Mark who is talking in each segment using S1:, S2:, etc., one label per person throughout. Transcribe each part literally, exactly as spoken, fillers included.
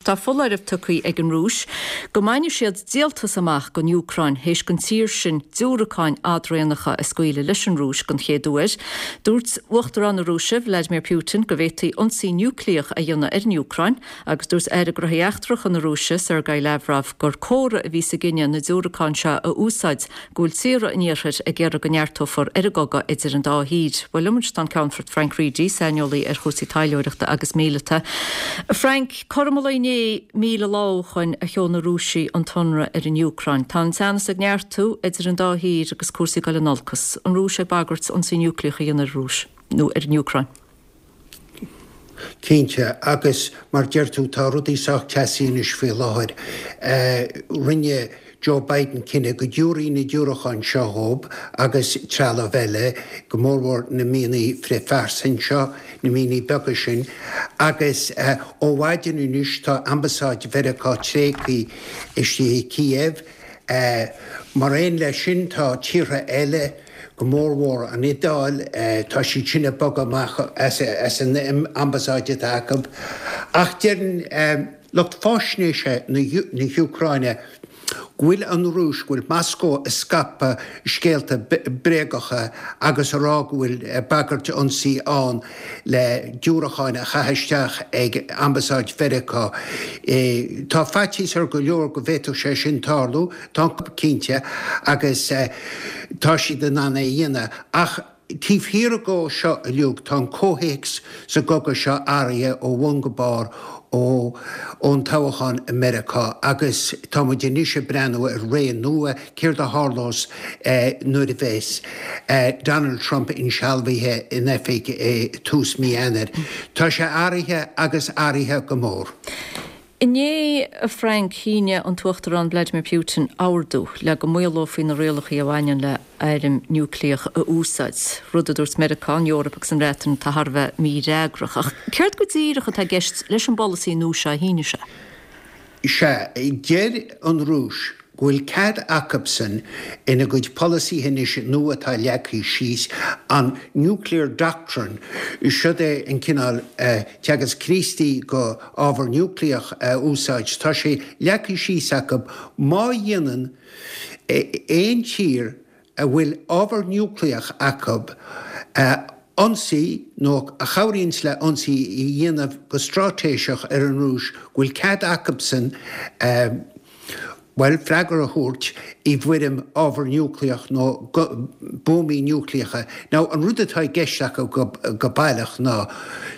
S1: Tá foláireamh tugtha ag an Rúis go mbainfidh siad díoltas amach den Úcráin théis don tír sin diúracáin fhadraonacha a scaoileadh leis an Rúis den chéad uair. Dúirt Uachtarán na Rúise Vladimir Putin go bhféadfaí ionsaí núicléach a dhéanamh ar an Úcráin agus dúirt Aire Gnóthaí Eachtracha na Rúise Sergei Lavrov gur comhartha a bhí sa gcinneadh na diúracáin seo a úsáid go bhfuil tíortha an iarthair ag iarraidh go neartófar ar an gcogadh idir an dá thír. Well liom tá an Ceannfort Frank Reidy, saineolaí ar chúrsaí taidhleoireachta agus míleata. Frank, cothrom an lae inné míle lá ó shin a sheol na Rúisigh an t-ionradh ar an Úcráin. Tá an teannas ag neartú idir an dá thír agus cúrsaí ag dul in olcas. An Rúis ag bagairt ionsaí núicléach a dhéanamh ar Rúis nó ar an Úcráin.
S2: Cinnte agus mar deir tú tá rudaí sách teasaí anois faoi láthair. Rinne Joe Biden cinneadh go dtabharfaí na diúracáin seo dóibh agus trealamh eile go mórmhór na mianaí frithphearsan seo, na mianaí beaga sin, agus ó mhaidin anois tá ambasáid Mheiriceá tréigthe istigh i Kiev. Mar aon leis sin tá tíortha eile go mórmhór an Iodáil, tá siad sin ag bogadh amach as as an ambasáid atá acu. Ach deireann lucht faisnéise na hÚcráine go bhfuil an Rúis go bhfuil Moscó ag scaipeadh scéalta bréagacha agus a rá go bhfuil bagairt ionsaí ann le diúracáin a chaitheamh isteach ag ambasáid Mheiriceá. Tá faitíos ar go leor go bhféadfadh sé sin tarlú, tá cinnte agus tá siad in ann é a dhéanamh ach taobh thiar de seo uilig tá an comhthéacs sa gcogadh seo athraithe ó bhun go barr ó ón toghchán i Meiriceá agus tá muid anois ag breathnú ar ré nua céard a tharlós nuair a bheas Donald Trump insealbhaithe in oifig tús mí Eanáir. Tá sé athraithe agus athraithe go mór.
S1: Inné a Frank shínigh an tUachtarán Vladimir Putin ordú le go maolófaí na rialacha a bhaineann le hairm núicléach a úsáid. Rud a dúirt Meiriceá, an Eoraip agus an Bhreatain tá thar a bheith mífhreagrach. Ach céard go díreach atá i gceist leis an bpolasaí nua seo a shínigh sé?
S2: Sea, deir an Rúis go bhfuil cead acusan ina gcuid polasaithe anois nua atá leagtha síos an nuclear doctrine siod é an cineál teagasc Críostaí go ábhar núicléach a úsáid. Tá sé leagtha síos acu má dhéanann aon tír a bhfuil ábhar núicléach acu ionsaí nó a chabhraíonn le ionsaí a dhéanamh go straitéiseach ar an Rúis go bhfuil cead acusan well freagra a thabhairt i bhfoirm ábhar núicléach nó buamaí núicléacha. Now an rud atá i gceist acu go, go baileach ná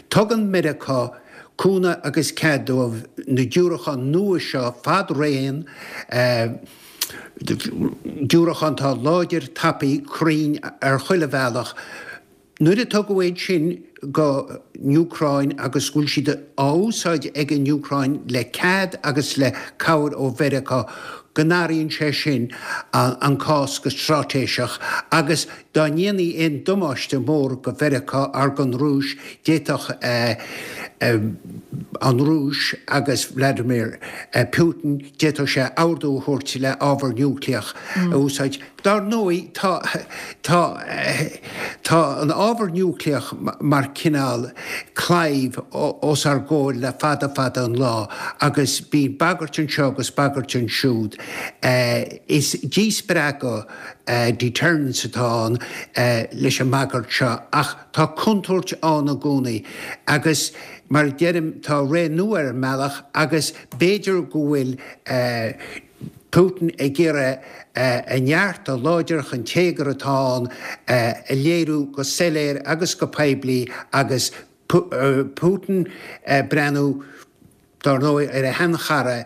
S2: tugann Meiriceá cúnamh agus cead dóibh na diúracáin nua seo fad-raon, diúracáin atá láidir tapaidh cruinn ar chuile bhealach. Nuair a tugadh iad sin go Úcráin agus go bhfuil siad á úsáid ag an Úcráin le cead agus le cabhair ó Mheiriceá go n-athraíonn sé sin an cás go straitéiseach agus dá ndéanfaí aon damáiste mór go Mheiriceá ar don Rúis d'fhéadfadh an Rúis agus Vladimir Putin d'fhéadfadh sé ordú a thabhairt le ábhar núicléach a úsáid. Dar ndóigh tá tá tá an ábhar núicléach mar cineál claíomh os ár gcomhair le fada fada an lá agus bíonn bagairt anseo agus bagairt ansiúd. Is díspreagadh deterrence atá ann leis an mbagairt seo ach tá contúirt ann i gcónaí agus mar a deirim tá ré nua ar an mbealach agus b'fhéidir go bhfuil Putin ag iarraidh a neart, a láidreacht, an téagar atá ann a léiriú go soiléir agus go poiblí agus Putin ag breathnú dar ndóigh ar a sheanchara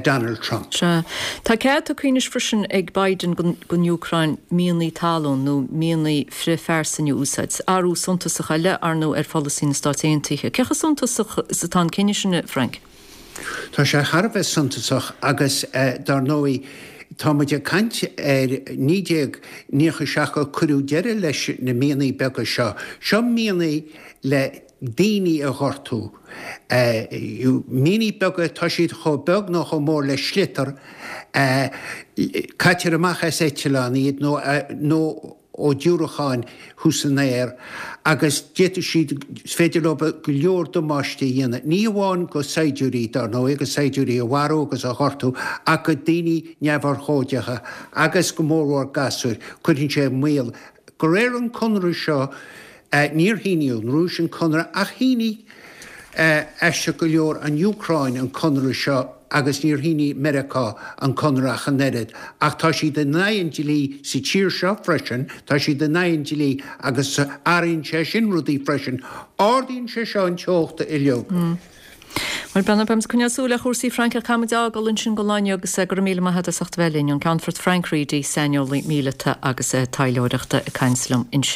S2: Donald Trump.
S1: Sea. Tá cead tugtha anois freisin ag Biden don Úcráin mianaí talún nó mianaí frithphearsan a úsáid. Athrú suntasach eile ar ndóigh ar pholasaí na Stát Aontaithe. Cé chomh suntasach is atá an cinneadh sin, Frank?
S2: Tá sé thar a bheith suntasach agus dar ndóigh tá muid ag caint ar naoi déag nócha seacht a cuireadh deireadh leis na mianaí beaga seo. Seo mianaí le daoine a ghortú. Mianaí beaga, tá siad chomh beag nó chomh mór le sliotar, caitear amach as eitleán iad nó nó ó diúracáin thuas san aer agus d'fhéadfadh siad, is féidir leo go leor damáiste a dhéanamh, ní amháin go saighdiúirí, dar ndóigh, go saighdiúirí a mharú agus a ghortú, ach go daoine neamhurchóideacha agus go mórmhór gasúir. Cuireann sé i mbaol. De réir an conradh seo, níor shínigh an Rúis an conradh ach shínigh, aisteach go leor, an Úcráin an conradh seo agus níor shínigh Meiriceá an conradh ach an oiread. Ach tá siad in aghaidh an dlí sa tír seo freisin, tá siad in aghaidh an dlí agus athraíonn sé sin rudaí freisin. Ardaíonn sé seo an teocht uilig.
S1: Bhuel, beimid ag coinneáil súil ar chúrsaí Frank ach caithfidh muid a fhágáil ansin don lá inniu agus go raibh míle maith agat as ucht a bheith linn, an Ceannfort Frank Reidy, saineolaí míleata agus taidhleoireachta ag caint liom ansin.